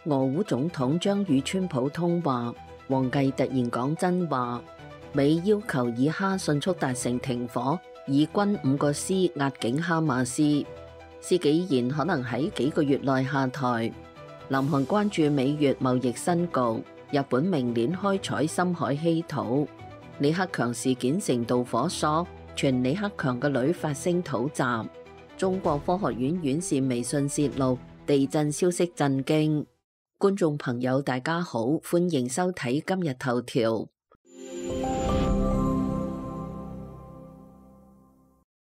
俄烏總統將與川普通話，王毅突然講真話。美要求以哈迅速達成停火，以軍5個師壓境哈馬斯。施紀賢可能喺幾個月內下台。南韓關注美越貿易新局。日本明年開採深海稀土。李克強事件成導火索，傳李克強嘅女發聲討襲。中國科學院院士微信泄露地震消息震驚。觀眾朋友大家好，歡迎收睇今日頭條。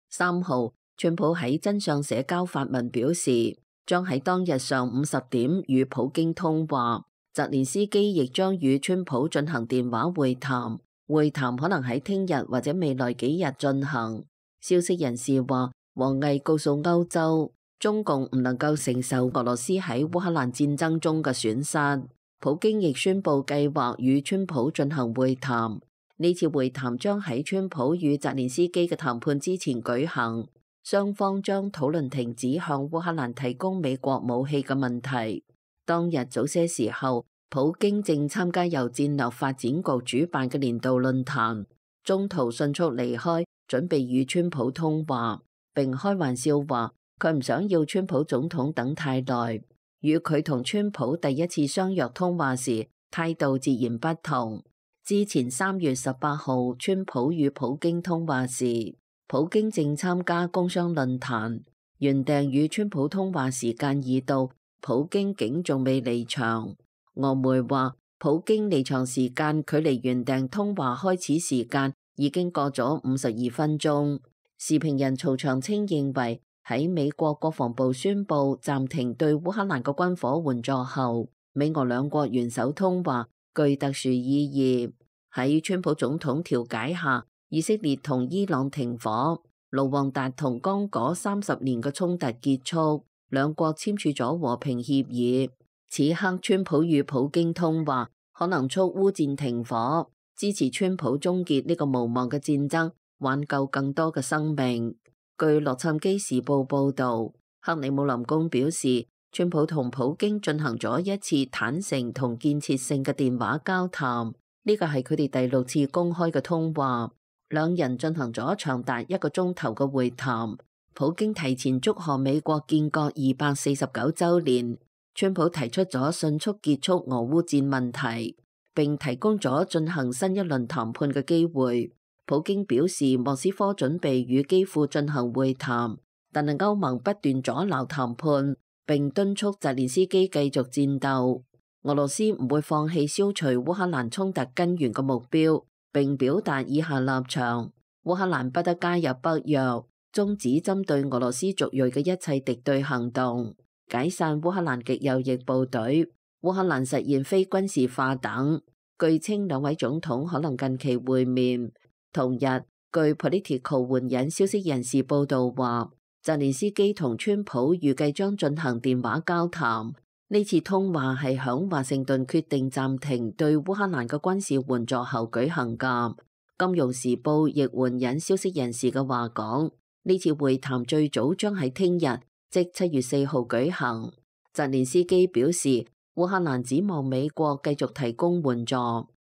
3號，川普喺真相社交發文表示，將喺當日上午10點與普京通話。澤連斯基亦將與川普進行電話會談，會談可能喺聽日或者未來幾日進行。消息人士話，王毅告訴歐洲，中共唔能夠承受俄羅斯喺烏克蘭戰爭中嘅損失。普京亦宣布計劃與川普進行會談，呢次會談將喺川普與澤連斯基嘅談判之前舉行，雙方將討論停止向烏克蘭提供美國武器嘅問題。當日早些時候，普京正參加由戰略發展局主辦嘅年度論壇，中途迅速離開，準備與川普通話，並開玩笑話佢唔想要川普總統等太耐。與佢同川普第一次相約通話時態度截然不同。之前3月18號，川普與普京通話時，普京正參加工商論壇，原定與川普通話時間已到，普京竟仲未離場。俄媒話，普京離場時間距離原定通話開始時間已經過咗52分鐘。時評人曹長青認為，喺美國國防部宣布暫停對烏克蘭嘅軍火援助後，美俄兩國元首通話具特殊意義。喺川普總統調解下，以色列同伊朗停火，盧旺達同剛果30年嘅衝突結束，兩國簽署咗和平協議。此刻川普與普京通話，可能促烏戰停火，支持川普終結呢個無望嘅戰爭，挽救更多嘅生命。據洛杉磯時報報道，克里姆林宮表示，川普同普京進行咗一次坦誠同建設性嘅電話交談，呢個係佢哋第6次公開嘅通話。兩人進行咗長達1個鐘頭嘅會談。普京提前祝賀美國建國249週年，川普提出咗迅速結束俄烏戰問題，並提供咗進行新一輪談判嘅機會。普京表示，莫斯科準備與基輔進行會談，但係歐盟不斷阻撓談判，並敦促澤連斯基繼續戰鬥。俄羅斯唔會放棄消除烏克蘭衝突根源嘅目標，並表達以下立場：烏克蘭不得加入北約，終止針對俄羅斯族裔嘅一切敵對行動，解散烏克蘭極右翼部隊，烏克蘭實現非軍事化等。據稱兩位總統可能近期會面。同日，據 Politico 援引消息人士報道話，澤連斯基同川普預計將進行電話交談。呢次通話係響華盛頓決定暫停對烏克蘭嘅軍事援助後舉行㗎。金融時報亦援引消息人士嘅話講，呢次會談最早將喺聽日，即7月4號舉行。澤連斯基表示，烏克蘭指望美國繼續提供援助，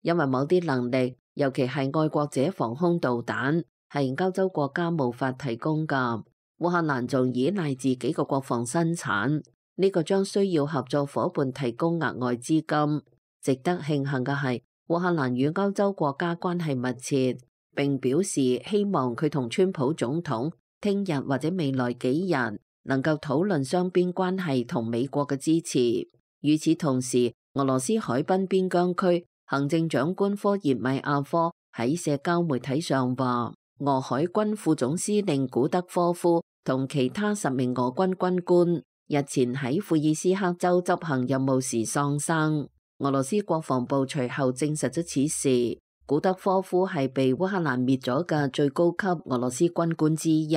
因為某啲能力，尤其係愛國者防空導彈，係歐洲國家無法提供㗎。烏克蘭仲依賴自己嘅國防生產，呢個將需要合作夥伴提供額外資金。值得慶幸嘅係，烏克蘭與歐洲國家關係密切，並表示希望佢同川普總統聽日或者未來幾日能夠討論雙邊關係同美國嘅支持。與此同時，俄羅斯海濱邊疆區行政長官科葉米亞科喺社交媒體上話，俄海軍副總司令古德科夫同其他10名俄軍軍官日前喺庫爾斯克州執行任務時喪生。俄羅斯國防部隨後證實咗此事。古德科夫係被烏克蘭滅咗嘅最高級俄羅斯軍官之一。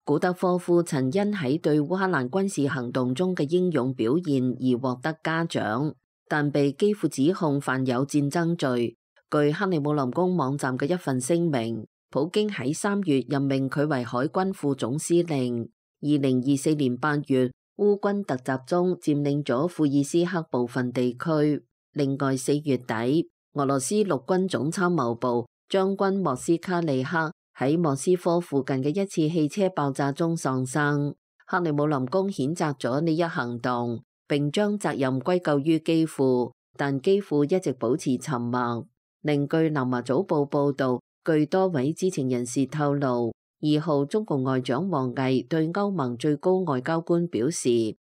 古德科夫曾因喺對烏克蘭軍事行動中嘅英勇表現而獲得嘉獎，但被基輔指控犯有戰爭罪。據克里姆林宮網站嘅一份聲明，普京喺3月任命佢為海軍副總司令。2024年8月，烏軍突襲中佔領咗庫爾斯克部分地區。另外4月底，俄羅斯陸軍總參謀部將軍莫斯卡利克喺莫斯科附近嘅一次汽車爆炸中喪生。克里姆林宮譴責咗呢一行動，並將責任歸咎於基輔，但基輔一直保持沉默。另據南華早報報導，據多位知情人士透露，2號中共外長王毅對歐盟最高外交官表示，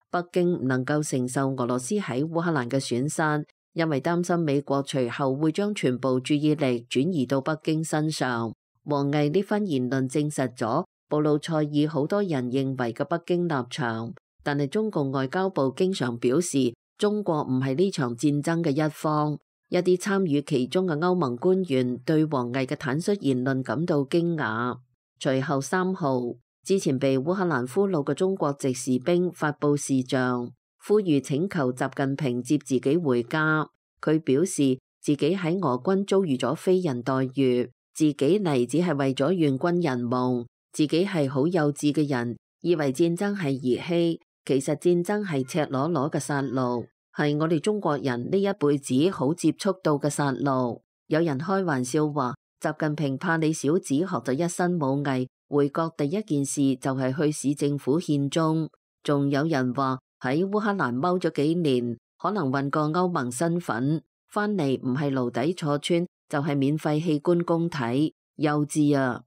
北京唔能夠承受俄羅斯喺烏克蘭嘅損失，因為擔心美國隨後會將全部注意力轉移到北京身上。王毅呢番言論證實咗布魯塞爾好多人認為嘅北京立場，但係中共外交部經常表示，中國唔係呢場戰爭嘅一方。一啲參與其中嘅歐盟官員對王毅嘅坦率言論感到驚訝。隨後3號，之前被烏克蘭俘虜嘅中國籍士兵發布視像，呼籲請求習近平接自己回家。佢表示自己喺俄軍遭遇咗非人待遇，自己嚟只係為咗願軍人夢。自己係好幼稚嘅人，以為戰爭係兒戲，其實戰爭係赤裸裸嘅殺戮，係我哋中國人呢一輩子好接觸到嘅殺戮。有人開玩笑話，習近平怕你小子學咗一身武藝，回國第一件事就係去市政府獻鐘。仲有人話喺烏克蘭踎咗幾年，可能混過歐盟身份，翻嚟唔係牢底坐穿，就係免費器官供體，幼稚啊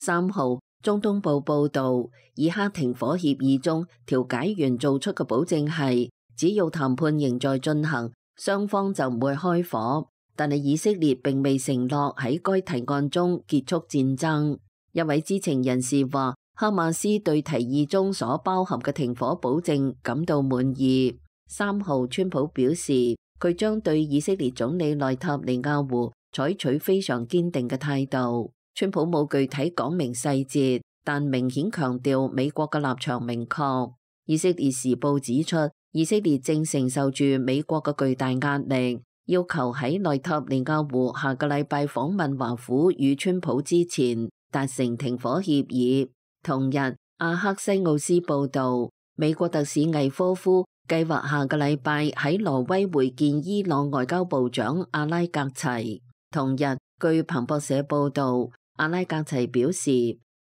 ！3號，中東報報導，以哈停火協議中調解員做出嘅保證係，只要談判仍在進行，雙方就唔會開火。但係以色列並未承諾喺該提案中結束戰爭。一位知情人士話，哈馬斯對提議中所包含嘅停火保證感到滿意。3號，川普表示，佢將對以色列總理內塔尼亞胡採取非常堅定嘅態度。川普冇具體講明細節，但明顯強調美國嘅立場明確。以色列時報指出，以色列正承受住美國嘅巨大壓力，要求喺內塔尼亞胡下個禮拜訪問華府與川普之前達成停火協議。同日，阿克西奧斯報導，美國特使魏科夫計劃下個禮拜喺挪威會見伊朗外交部長阿拉格齊。同日，據彭博社報導，阿拉格齊表示，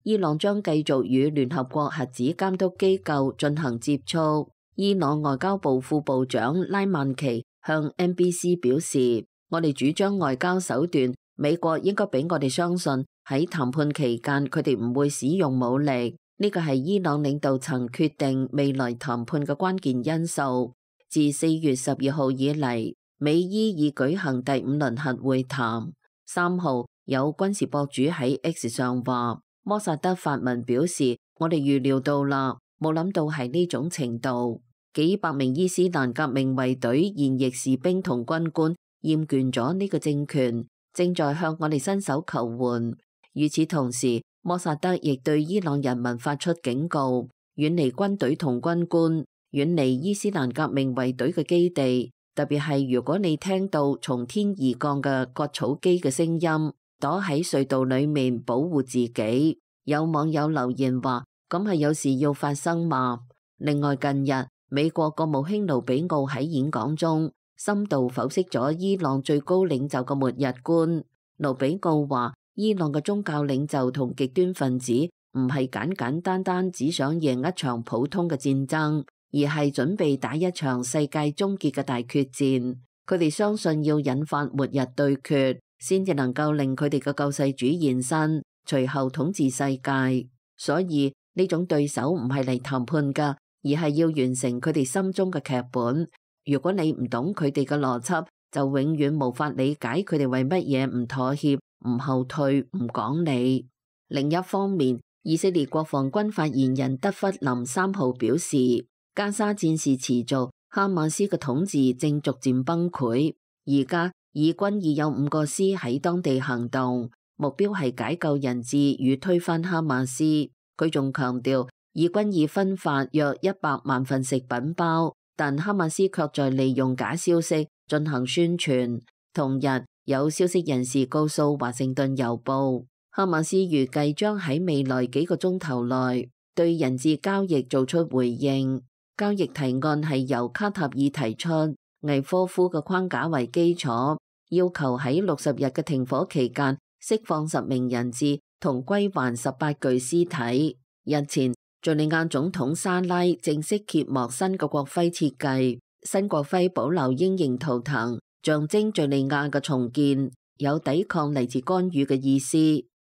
伊朗將繼續與聯合國核子監督機構進行接觸。伊朗外交部副部長拉曼奇向 NBC 表示，我哋主張外交手段，美國應該俾我哋相信喺談判期間佢哋唔會使用武力，呢個係伊朗領導層決定未來談判嘅關鍵因素。自4月12號以嚟，美伊已舉行第5輪核會談。3號，有軍事博主喺 X 上話，摩薩德發文表示，我哋預料到啦，冇諗到係呢種程度。幾百名伊斯蘭革命衛隊現役士兵同軍官厭倦咗呢個政權，正在向我哋伸手求援。與此同時，摩薩德亦對伊朗人民發出警告，遠離軍隊同軍官，遠離伊斯蘭革命衛隊嘅基地。特別係如果你聽到從天而降嘅割草機嘅聲音，躲喺隧道裏面保護自己。有網友留言話，咁係有事要發生嘛？另外，近日美國國務卿盧比奧喺演講中深度剖析咗伊朗最高領袖嘅末日觀。盧比奧話，伊朗嘅宗教領袖同極端分子唔係簡簡單單只想贏一場普通嘅戰爭，而係準備打一場世界終結嘅大決戰。佢哋相信要引發末日對決，先至能夠令佢哋嘅救世主現身，隨後統治世界。所以呢種對手唔係嚟談判㗎，而係要完成佢哋心中嘅劇本。如果你唔懂佢哋嘅邏輯，就永遠無法理解佢哋為乜嘢唔妥協、唔後退、唔講理。另一方面，以色列國防軍發言人德弗林3號表示，加沙戰事持續，哈馬斯嘅統治正逐漸崩潰。而家以軍已有5個師喺當地行動，目標係解救人質與推翻哈馬斯。佢仲強調，以軍已分發約100萬份食品包，但哈馬斯卻在利用假消息進行宣傳。同日，有消息人士告訴華盛頓郵報，哈馬斯預計將喺未來幾個鐘頭內對人質交易做出回應。交易提案係由卡塔爾提出，魏科夫嘅框架為基礎，要求喺60日嘅停火期間釋放10名人質同歸還18具屍體。日前，敘利亞總統沙拉正式揭幕新嘅國徽設計，新國徽保留鷹形圖騰，象徵敘利亞嘅重建，有抵抗嚟自干預嘅意思。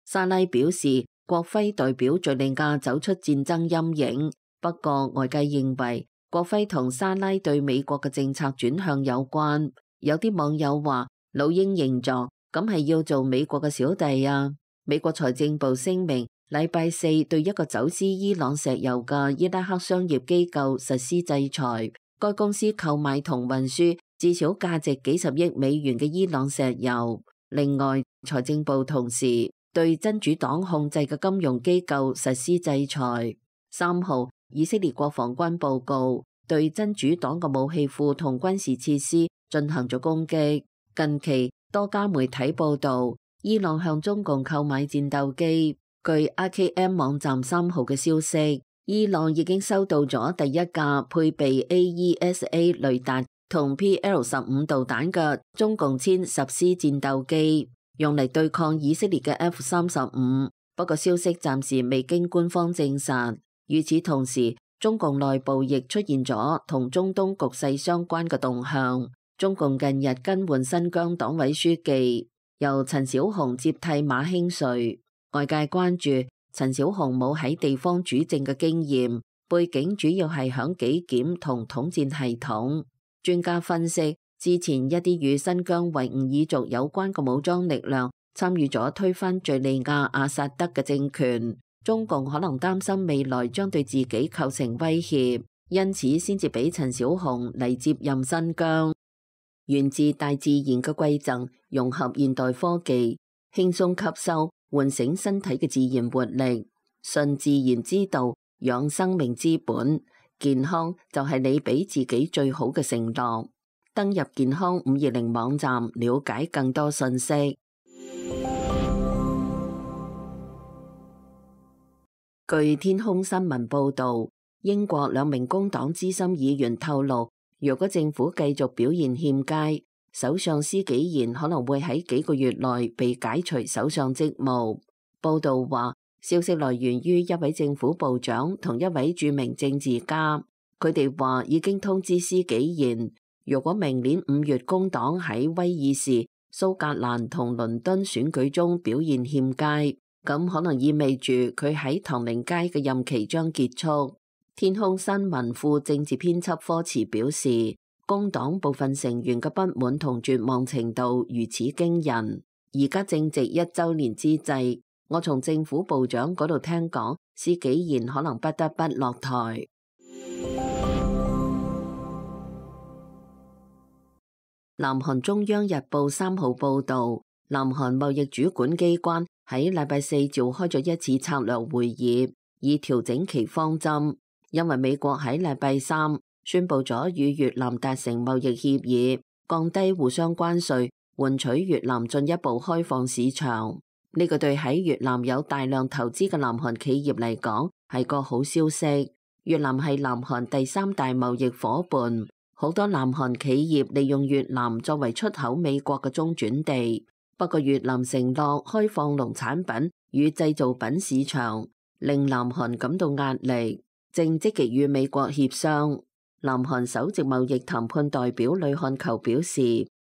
沙拉表示，國徽代表敘利亞走出戰爭陰影。不過，外界認為國徽同沙拉對美國嘅政策轉向有關。有啲網友話：老鷹形狀，咁係要做美國嘅小弟啊！美國財政部聲明，禮拜4對一個走私伊朗石油嘅伊拉克商業機構實施制裁。該公司購買同運輸至少價值幾十億美元嘅伊朗石油。另外，財政部同時對真主黨控制嘅金融機構實施制裁。3號，以色列國防軍報告對真主黨嘅武器庫同軍事設施進行咗攻擊。近期多家媒體報道，伊朗向中共購買戰鬥機。據 RKM 網站3號嘅消息，伊朗已經收到咗第一架配備 AESA 雷達同 PL-15導彈嘅中共殲10 C 戰鬥機，用嚟對抗以色列嘅 F-35。不過消息暫時未經官方證實。與此同時，中共內部亦出現咗同中東局勢相關嘅動向。中共近日更換新疆黨委書記，由陳小紅接替馬興瑞。外界關注陳小紅冇喺地方主政嘅經驗，背景主要係響紀檢同統戰系統。專家分析，之前一啲與新疆維吾爾族有關嘅武裝力量參與咗推翻敘利亞阿薩德嘅政權。中共可能擔心未來將對自己構成威脅，因此先至俾陳小紅嚟接任新疆。源自大自然嘅饋贈，融合現代科技，輕鬆吸收，喚醒身體嘅自然活力。順自然之道，養生命之本。健康就係你俾自己最好嘅承諾。登入健康520網站，了解更多信息。據天空新聞報導，英國2名工黨資深議員透露，若果政府繼續表現欠佳，首相施紀賢可能會喺幾個月內被解除首相職務。報導話，消息來源於一位政府部長同一位著名政治家，佢哋話已經通知施紀賢，如果明年5月工黨喺威爾士、蘇格蘭同倫敦選舉中表現欠佳，咁可能意味住佢喺唐寧街嘅任期將結束。天空新聞副政治編輯科茨表示，工黨部分成員嘅不滿同絕望程度如此驚人。而家正值1週年之際，我從政府部長嗰度聽講，施紀賢可能不得不落台。南韓中央日報3號報導，南韓貿易主管機關喺禮拜4召開咗一次策略會議，以調整其方針。因為美國喺禮拜3宣布咗與越南達成貿易協議，降低互相關稅，換取越南進一步開放市場。呢個對喺越南有大量投資嘅南韓企業嚟講係個好消息。越南係南韓第3大貿易夥伴，好多南韓企業利用越南作為出口美國嘅中轉地。不過越南承諾開放農產品與製造品市場，令南韓感到壓力，正積極與美國協商。南韓首席貿易談判代表呂漢球表示，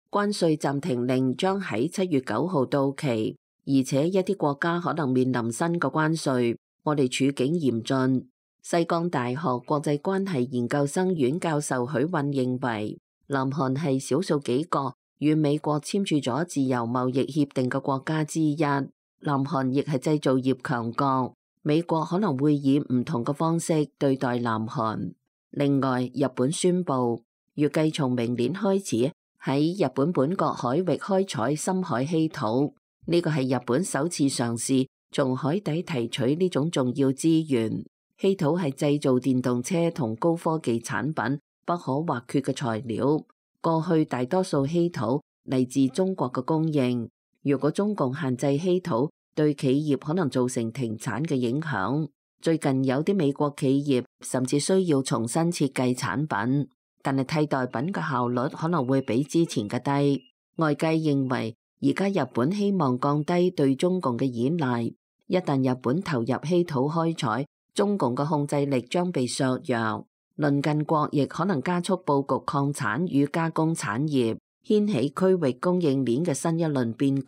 關稅暫停令將喺7月9號到期，而且一啲國家可能面臨新嘅關稅，我哋處境嚴峻。西江大學國際關係研究生院教授許韻認為，南韓係少數幾個與美國簽署咗自由貿易協定嘅國家之一，南韓亦係製造業強國，美國可能會以唔同嘅方式對待南韓。另外，日本宣布預計從明年開始喺日本本國海域開採深海稀土，呢個係日本首次嘗試從海底提取呢種重要資源。稀土係製造電動車同高科技產品不可或缺嘅材料。過去大多數稀土嚟自中國嘅供應，如果中共限制稀土，對企業可能造成停產嘅影響。最近有啲美國企業甚至需要重新設計產品，但係替代品嘅效率可能會比之前嘅低。外界認為而家日本希望降低對中共嘅依賴，一旦日本投入稀土開採，中共嘅控制力將被削弱。鄰近國亦可能加速佈局礦產與加工產業，掀起區域供應鏈嘅新一輪變局。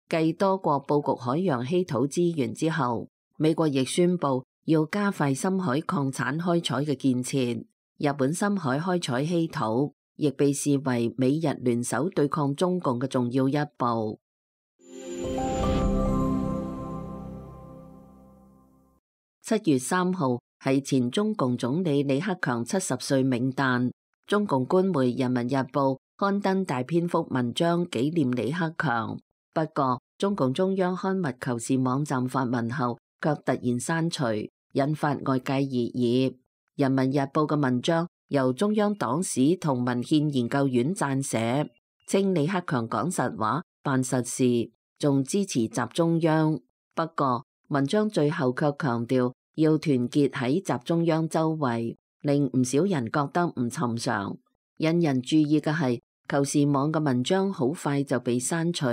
繼多國佈局海洋稀土資源之後，美國亦宣布要加快深海礦產開採嘅建設。日本深海開採稀土亦被視為美日聯手對抗中共嘅重要一步。7月3號係前中共總理李克強70歲冥誕，中共官媒《人民日報》刊登大篇幅文章紀念李克強。不過，中共中央刊物求是網站發文後，卻突然刪除，引發外界熱議。《人民日報》嘅文章由中央黨史同文獻研究院撰寫，稱李克強講實話、辦實事，仲支持習中央。不過，文章最後卻強調要團結喺習中央周圍，令唔少人覺得唔尋常。引人注意嘅係，求是網嘅文章好快就被刪除，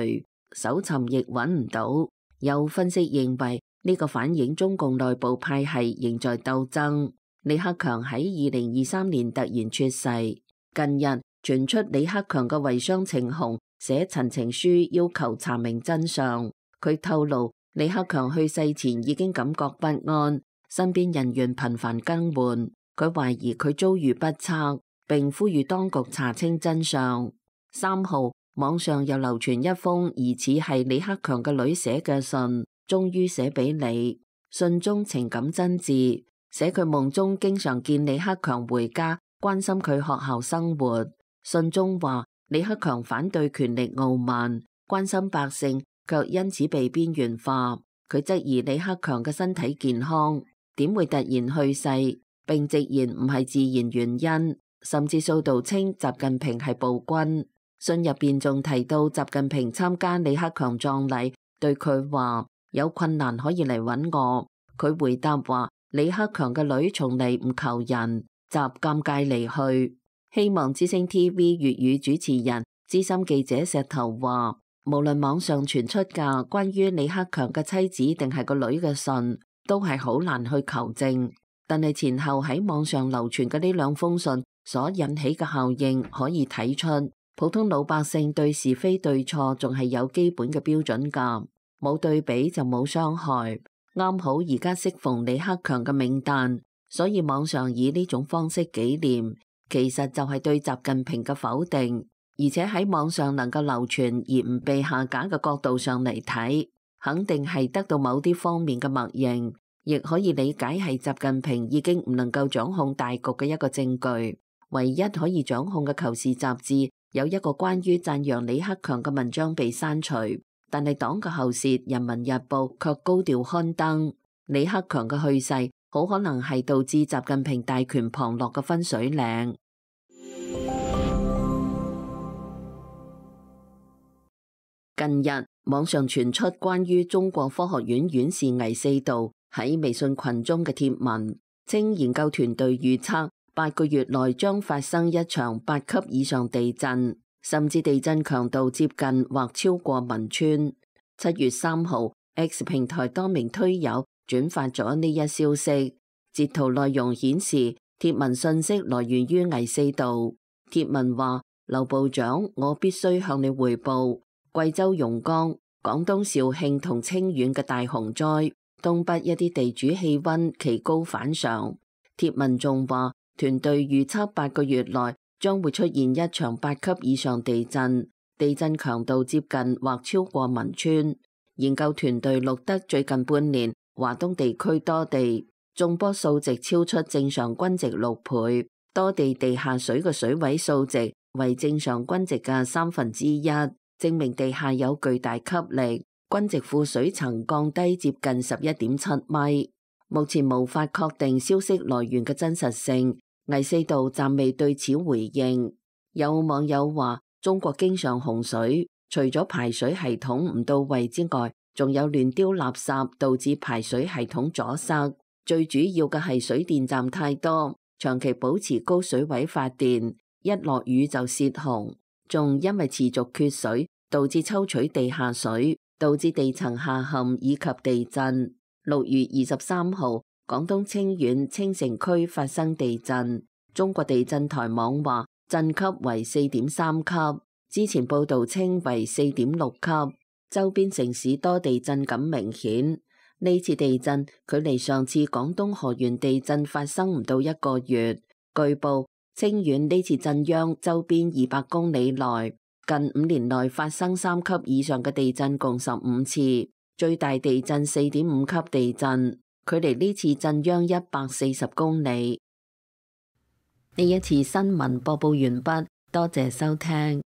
搜尋亦揾唔到。有分析認為呢個反映中共內部派系仍在鬥爭。李克強喺2023年突然猝世，近日傳出李克強嘅遺孀程虹寫陳情書要求查明真相。佢透露，李克強去世前已經感覺不安，身邊人員頻繁更換，佢懷疑佢遭遇不測，並呼籲當局查清真相。3號，網上又流傳一封疑似係李克強嘅女寫嘅信，終於寫俾你。信中情感真摯，寫佢夢中經常見李克強回家，關心佢學校生活。信中話，李克強反對權力傲慢，關心百姓，卻因此被邊緣化。佢質疑李克強嘅身體健康，點會突然去世，並直言唔係自然原因，甚至數度稱習近平係暴君。信入邊仲提到習近平參加李克強葬禮，對佢話有困難可以嚟揾我。佢回答話李克強嘅女從嚟唔求人，習尷尬離去。希望之聲 TV 粵語主持人資深記者石頭話，無論網上傳出嘅關於李克強嘅妻子定係個女嘅信，都係好難去求證。但係前後喺網上流傳嘅呢兩封信所引起嘅效應，可以睇出普通老百姓對是非對錯仲係有基本嘅標準㗎，冇對比就冇傷害。啱好而家適逢李克強嘅冥誕，所以網上以呢種方式紀念，其實就係對習近平嘅否定。而且喺網上能夠流傳而唔被下架嘅角度上嚟睇，肯定係得到某啲方面嘅默認，亦可以理解係習近平已經唔能夠掌控大局嘅一個證據。唯一可以掌控嘅《求是》雜誌有一個關於讚揚李克強嘅文章被刪除，但係黨嘅喉舌《人民日報》卻高調刊登。李克強嘅去世好可能係導致習近平大權旁落嘅分水嶺。近日網上傳出關於中國科學院院士倪四道喺微信群中嘅貼文，稱研究團隊預測8個月內將發生一場8級以上地震，甚至地震強度接近或超過汶川。7月3號 X 平台多名推友轉發咗呢一消息，截圖內容顯示貼文信息來源於倪四道。貼文話：劉部長，我必須向你匯報。貴州榕江、廣東肇慶同清遠嘅大洪災，東北一啲地主氣溫奇高反常。貼文仲話，團隊預測8個月內將會出現一場8級以上地震，地震強度接近或超過汶川。研究團隊錄得最近半年華東地區多地眾波數值超出正常均值6倍，多地地下水嘅水位數值為正常均值嘅1/3。證明地下有巨大吸力，均值副水層降低接近11.7米。目前無法確定消息來源嘅真實性，倪四道暫未對此回應。有網友話：中國經常洪水，除咗排水系統唔到位之外，仲有亂丟垃圾導致排水系統阻塞。最主要嘅係水電站太多，長期保持高水位發電，一落雨就泄洪。仲因為持續缺水，導致抽取地下水，導致地層下陷以及地震。6月23號，廣東清遠清城區發生地震，中國地震台網話震級為4.3級，之前報道稱為4.6級，周邊城市多地震感明顯。呢次地震距離上次廣東河源地震發生唔到1個月。據報，清遠呢次震央周邊200公里內，近5年內發生3級以上嘅地震共15次，最大地震4.5級地震，距離呢次震央140公里。呢一次新聞播報完畢，多謝收聽。